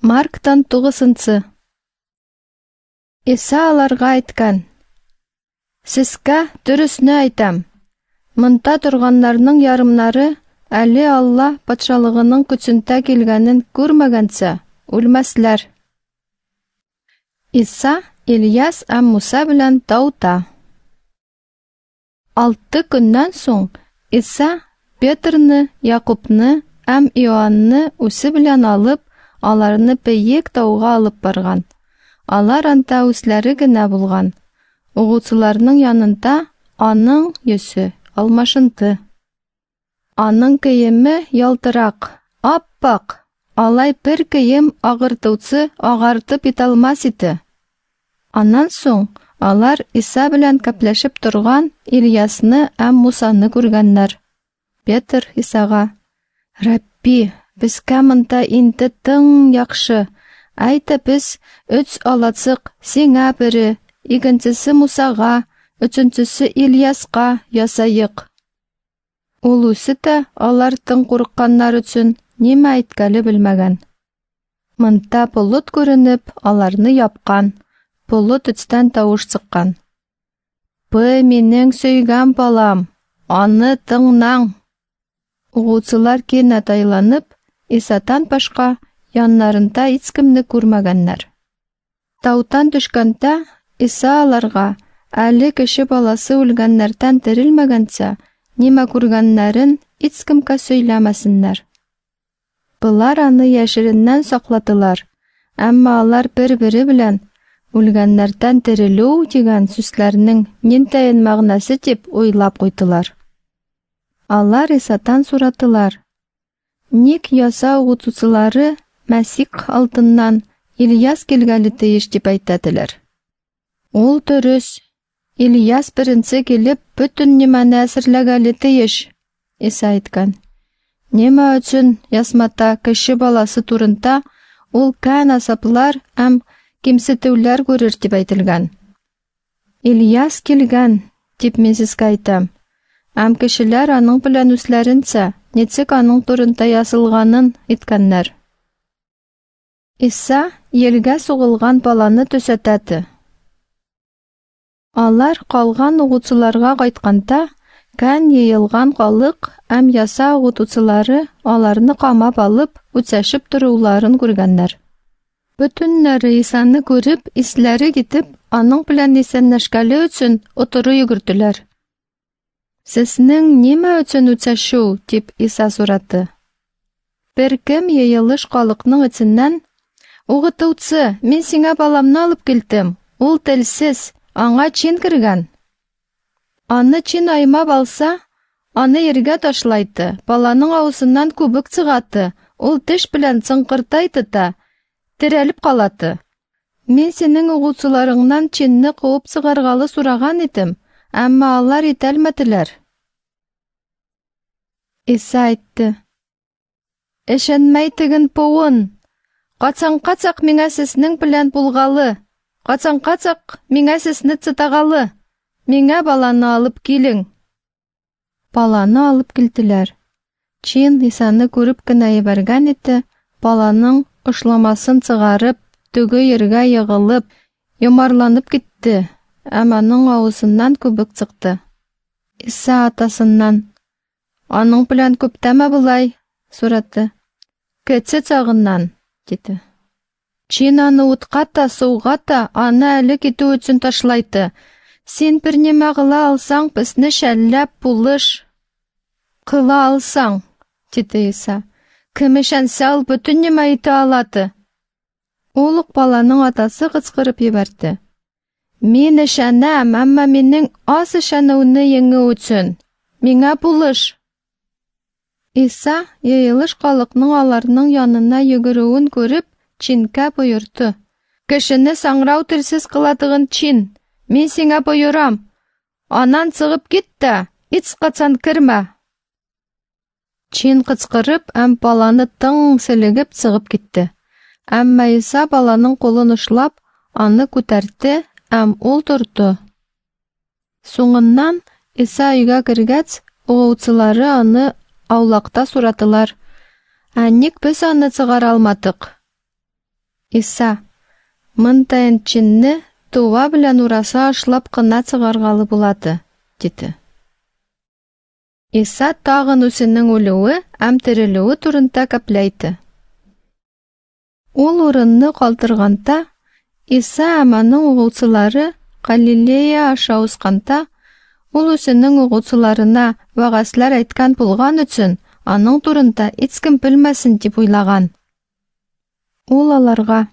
Марктан тугызынчы. Иса аларга әйткән: Сезгә дөресне әйтәм, монда торганнарның ярымнары әле Алла патшалыгының көчендә килгәнен күрмәгәнчә үлмәсләр. Иса, Ильяс һәм Муса белән таута. Алты көннән соң Иса Петрны, Якубны һәм Иоанны үзе белән алып, аларны бөек тауга алып барган. Алар анда үзләре генә булган. Угучыларның янында аның йөзе алмашынды. Аның киеме ялтырак, ап-ак, алай бер кием агартучы агартып италмас иде. Аннан соң алар Иса белән кәпләшеп торган Ильясны һәм Мусаны күргәннәр. Петр Исага: "Рабби, безгә монда инде тың яхшы. Әйдә без өч алачык, сиңа бере, икенчесе Мусага, өченчесе Ильяска ясайык." Ул үзе дә алар тың курыкканнар өчен нимә әйткәле белмәгән. Монда болыт күренеп, аларны япкан. Болыт өстән тавыш чыккан. "Бу минем сөйгән балам, аны тыңнаң." Угучылар кинәт айланып, Исатан башка яннарында һичкемне күрмәгәннәр. Таудан төшкәндә Иса аларга, әле кеше баласы үлгәннәрдән терелмәгәнчә, нимә күргәннәрен һичкемгә сөйләмәсеннәр. Болар аны яшереннән сакладылар, әмма алар бер-бере белән үлгәннәрдән терелү дигән сүзләрнең ниндәен мәгънәсе дип уйлап куйдылар. Алар Исатан сорадылар: "Ник яса укытучылары Мәсих алдыннан Ильяс килгәле тиеш дип әйтәделәр?" Ул дөрес. Ильяс беренче килеп бөтен нимәне әзерләгәле тиеш, Иса әйткән. Нимә өчен язмада кеше баласы турында ул кән азаплар һәм кимсетүләр күрер дип әйтелгән. Ильяс килгән, дип мин сезгә әйтәм. Һәм кешеләр аның белән үзләренчә, ничек аның турында язылганын иткәннәр. Иса елгә сугылган баланы төзәтәде. Алар калган укучыларга кайтканда, кән йыелган халык һәм яса укытучылары аларны камап алып, үтсәшеп торуларын күргәннәр. Бөтеннәре Исаны күреп, исләре китеп, аның белән исәнләшкәле өчен отыры йөгерделәр. Сезнең нимә өчен үтсәшү? дип Иса сорады. Бер кем йыелыш халыкның эченнән: "Укытучы, мин сиңа баламны алып килдем. Ул телсез, аңа чин кергән. Аны чин аймап алса, аны ергә ташлайды, баланың авызыннан күбек чыгаты, ул теш белән чыңкыртайды да, терәлеп калады. Мин синең укучыларыңнан чинне куып чыгаргалы сораган идем, әмма алар итәлмәделәр." Иса әйтте: "Ышанмай теген буын, качан-качак миңа сезнең белән булгалы, качан-качак миңа сезне чытагалы, миңа баланы алып килең." Баланы алып килделәр. Чин Исаны күреп кенә ебәргән иде, баланың ошламасын чыгарып, төге ергә егылып, йомарланып китте, һәм аның авызыннан күбек чыкты. Иса атасыннан: "Аның белән күптәнме болай?" сорады. "Кече чагыннан", диде. Чин аны утка та, суга та, аны әле китү өчен ташлайды. Син бер нимә кыла алсаң, безне шәлләп булыш. Кыла алсаң, диде Иса. Кем ышанса, ул бөтен нимә итә алады. Ул ук баланың атасы кычкырып җибәрде. Мин ышанам, әмма минең аз ышануны еңү өчен. Миңа булыш. Иса йыелыш халыкның аларның янына йөгерүен күреп, чинкә боерды. Кешене саңрау телсез кыладыгын чин, мин сиңа боерам. Аннан чыгып кит тә, һичкайчан кермә. Чин кычкырып һәм баланы тың селегеп чыгып китте. Әмма Иса баланың кулын ушлап, аны күтәртте һәм ул торды. Соңыннан Иса өйгә кергәч, укучылары аны аулакта сорадылар: "Ә ник без аны чыгара алмадык?" Иса, Мынтайын чинне туа белән ураса ашлап кына чыгаргалы булады, диде. Иса тагын үзенең үлүе һәм терелүе турында кәпләйде. Ул урынны калдырганда, Иса һәм аның угылчылары Галилея аша узганда, ул үзенең угылчыларына вәгазьләр әйткән булган өчен, аның турында һичкем белмәсен дип уйлаган. Ул аларга: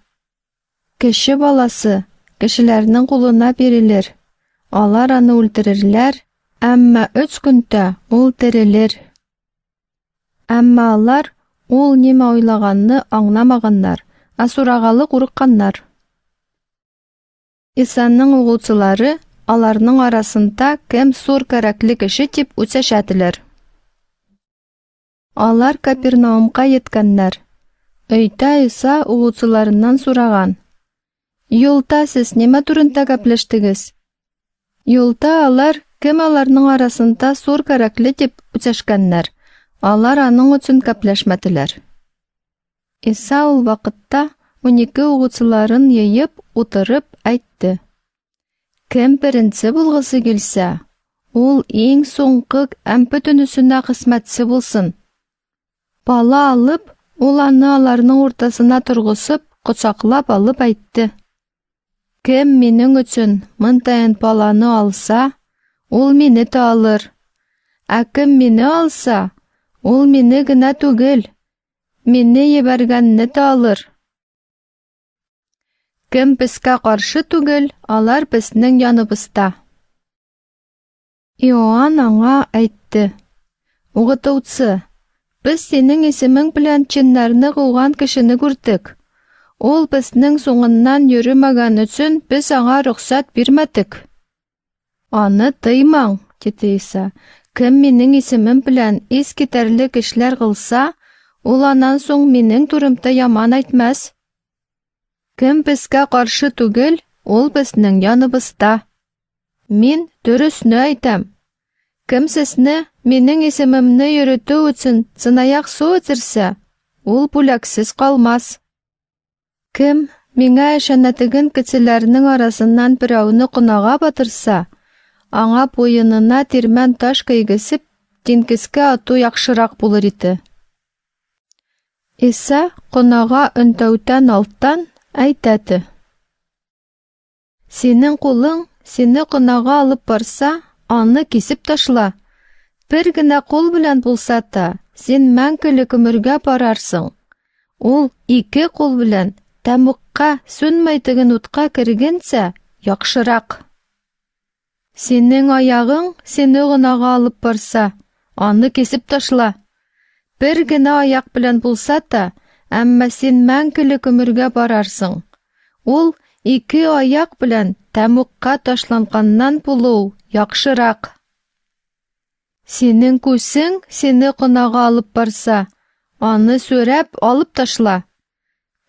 Кеше баласы кешеләрнең кулына бирелер. Алар аны үлтерерләр, әмма өч көндә ул терелер. Әмма алар ул нимә уйлаганны аңламаганнар, ә сурагалы курыкканнар. Исаның угылчылары аларның арасында кем зур кәрәкле кеше дип үсәшәделәр. Алар Капернаумка йеткәннәр. Өйдә Иса угылчыларыннан сураган: Юлда сез нимә турында гәпләштегез? Юлда алар кем аларның арасында зур кәрәкле дип үсәшкәннәр. Алар аның өчен гәпләшмәделәр. Иса ул вакытта 12 угылчыларын йыеп утырып әйтте: Кем беренче булгысы килсә, ул иң соңгы һәм бөтенесенә хезмәтче булсын. Бала алып, ул аны аларның уртасына торгызып, кочаклап алып әйтте: Кем минең өчен мынтайын баланы алса, ул мине дә алыр. Ә кем мине алса, ул мине генә түгел, мине ебәргәнне дә алыр. Кем безгә каршы түгел, алар безнең яныбызда. Иоанн аңа әйтте: Укытучы, без синең исемең белән чиннәрне куган кешене күрдек. Ул безнең соңыннан йөрмәгән өчен без аңа рөхсәт бирмәдек. Аны тыймаң, диде Иса. Кем минең исемем белән искитәрлек эшләр кылса, ул аннан соң минең турымда яман әйтмәс. Кем безгә каршы түгел, ул безнең яныбызда. Мин дөресне әйтәм. Кем сезне минең исемемне йөртү өчен чынаяк су эчерсә, ул бүләксез калмас. Кем миңа ышанатыгын кешеләрнең арасыннан берәүне кунага батырса, аңа буенына тирмән таш кигезеп, диңгезгә ату яхшырак булыр иде. Иса кунага өндәүдән алттан әйтәде: Синең кулың сине кунага алып барса, аны кисеп ташла. Бер генә кул белән булса та, син мәңгелек гомергә барарсың. Ул ике кул белән тәмугка сүнмәйтеген утка кергәнчә яхшырак. Синең аягың сине гөнаһга алып барса, аны кисеп ташла. Бер генә аяк белән булса та, әмма син мәңгелек гомергә барарсың. Ул ике аяк белән тәмугка ташланганнан булу яхшырак. Синең күзең сине гөнаһга алып барса, аны сүрәп алып ташла.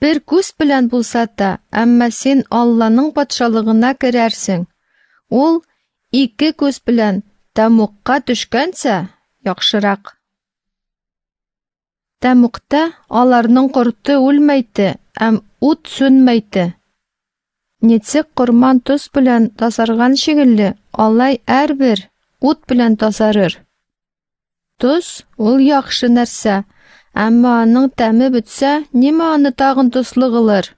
Бер күз белән булса та, әмма син Алланың патшалыгына керәрсең. Ул ике күз белән тәмугка төшкәнчә яхшырак. Тәмугта аларның корты үлмәйте һәм ут сүнмәйте. Ничек корман тоз белән тазарган шикелле, алай һәрбер ут белән тазарыр. Тоз ул яхшы нәрсә, әмма аның тәме бетсә, нимә аны тагын тозлы кылыр?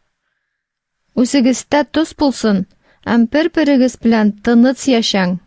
Үзегездә тоз булсын, һәм бер-берегез белән тыныч яшәң.